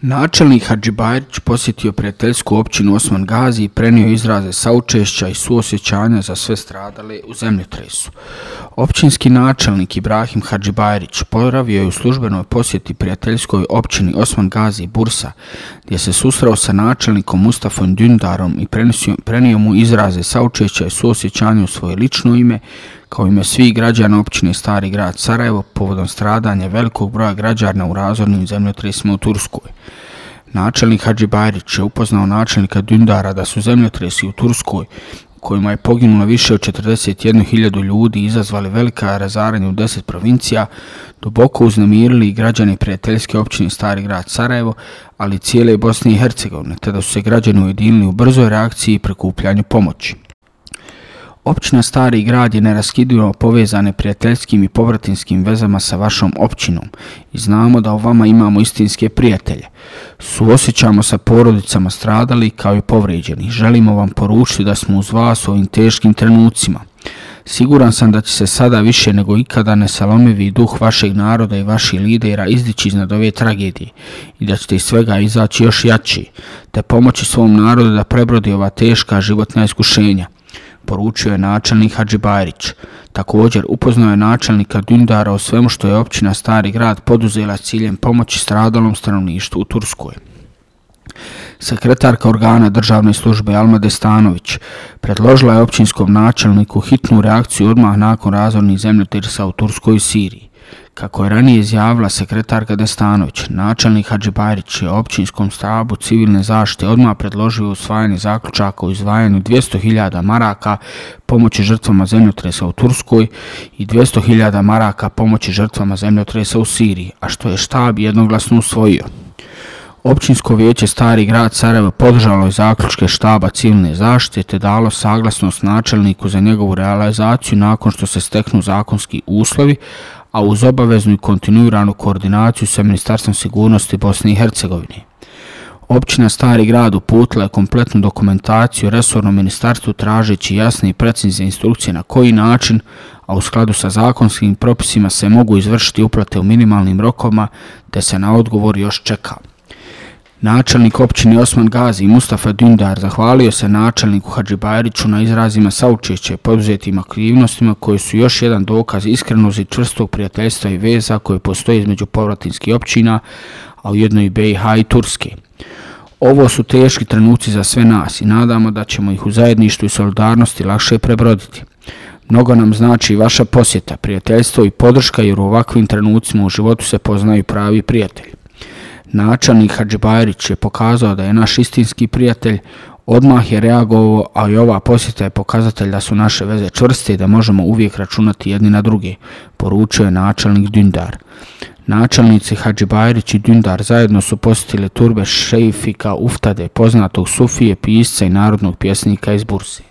Načelnik Hadžibajrić posjetio prijateljsku općinu Osman Gazi i prenio izraze saučešća i suosjećanja za sve stradale u zemljotresu. Općinski načelnik Ibrahim Hadžibajrić boravio je u službenoj posjeti prijateljskoj općini Osman Gazi Bursa, gdje se susreo sa načelnikom Mustafom Dündarom i prenio mu izraze saučešća i suosjećanja u svoje lično ime, kao ime svih građana općine Stari grad Sarajevo povodom stradanja velikog broja građana u razornim zemljotresima u Turskoj. Načelnik Hadžibajrić je upoznao načelnika Dündara da su zemljotresi u Turskoj, kojima je poginulo više od 41.000 ljudi i izazvali velika razaranja u 10 provincija, duboko uznemirili i građane prijateljske općine Stari grad Sarajevo, ali i cijele Bosne i Hercegovine, te da su se građani ujedinili u brzoj reakciji i prikupljanju pomoći. Općina Stari grad je neraskidivo povezane prijateljskim i povratinskim vezama sa vašom općinom i znamo da u vama imamo istinske prijatelje. Suosjećamo sa porodicama stradali kao i povrijeđeni. Želimo vam poručiti da smo uz vas u ovim teškim trenucima. Siguran sam da će se sada više nego ikada nesalomivi duh vašeg naroda i vaših lidera izdići iznad ove tragedije i da ćete iz svega izaći još jači, te pomoći svom narodu da prebrodi ova teška životna iskušenja, poručio je načelnik Hadžibajrić. Također upoznao je načelnika Dündara o svemu što je općina Stari grad poduzela s ciljem pomoći stradalom stanovništvu u Turskoj. Sekretarka organa državne službe Alma Destanović predložila je općinskom načelniku hitnu reakciju odmah nakon razornih zemljotresa u Turskoj i Siriji. Kako je ranije izjavila sekretarka Destanović, načelnik Hadžibajrić je općinskom štabu civilne zaštite odmah predložio usvajanje zaključaka o izdvajanju 200.000 maraka pomoći žrtvama zemljotresa u Turskoj i 200.000 maraka pomoći žrtvama zemljotresa u Siriji, a što je štab jednoglasno usvojio. Općinsko vijeće Stari grad Sarajevo podržalo je zaključke štaba civilne zaštite te dalo saglasnost načelniku za njegovu realizaciju nakon što se steknu zakonski uslovi, a uz obaveznu i kontinuiranu koordinaciju sa Ministarstvom sigurnosti Bosne i Hercegovine. Općina Stari grad uputila je kompletnu dokumentaciju resornom ministarstvu tražeći jasne i precizne instrukcije na koji način, a u skladu sa zakonskim propisima se mogu izvršiti uplate u minimalnim rokovima, te se na odgovor još čeka. Načelnik općine Osman Gazi Mustafa Dündar zahvalio se načelniku Hadžibajriću na izrazima saučešća i poduzetim aktivnostima koji su još jedan dokaz iskrenosti čvrstog prijateljstva i veza koje postoje između povratinskih općina, a ujedno i BiH i Turske. Ovo su teški trenuci za sve nas i nadamo da ćemo ih u zajedništvu i solidarnosti lakše prebroditi. Mnogo nam znači vaša posjeta, prijateljstvo i podrška jer u ovakvim trenucima u životu se poznaju pravi prijatelji. Načelnik Hadžibajrić je pokazao da je naš istinski prijatelj, odmah je reagovao, a i ova posjeta je pokazatelj da su naše veze čvrste i da možemo uvijek računati jedni na druge, poručio je načelnik Dündar. Načelnici Hadžibajrić i Dündar zajedno su posjetili turbe Šejfika Uftade, poznatog sufije, pisca i narodnog pjesnika iz Burse.